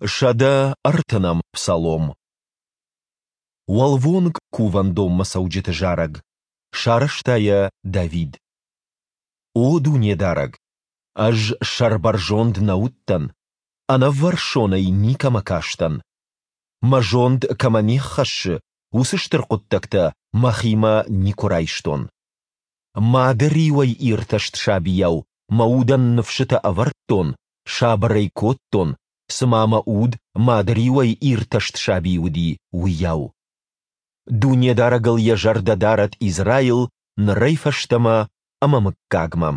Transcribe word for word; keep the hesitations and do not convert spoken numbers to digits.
Сӕдӕ ӕртынӕм псалом. Уӕлвонг кувӕндонмӕ цӕуджыты зарӕг. Сарӕзта йӕ Давид. О Дунедарӕг, ӕз сӕрбӕрзонд нӕ уыдтӕн, ӕнӕввӕрсонӕй никӕмӕ кастӕн. Мӕ зонд кӕмӕ не ххӕссы, уыцы стыр хъуыддӕгтӕ мӕхимӕ никуы райстон. Мады риуӕй иртӕст сабийау мӕ удӕн ныфсытӕ ӕвӕрдтон, сабыр ӕй кодтон, цыма мӕ уд мады риуӕй иртӕст саби уыди, уыйау. Дунедарӕгыл йӕ зӕрдӕ дарӕд Израил нырӕй фӕстӕмӕ ӕмӕ мыггагмӕ!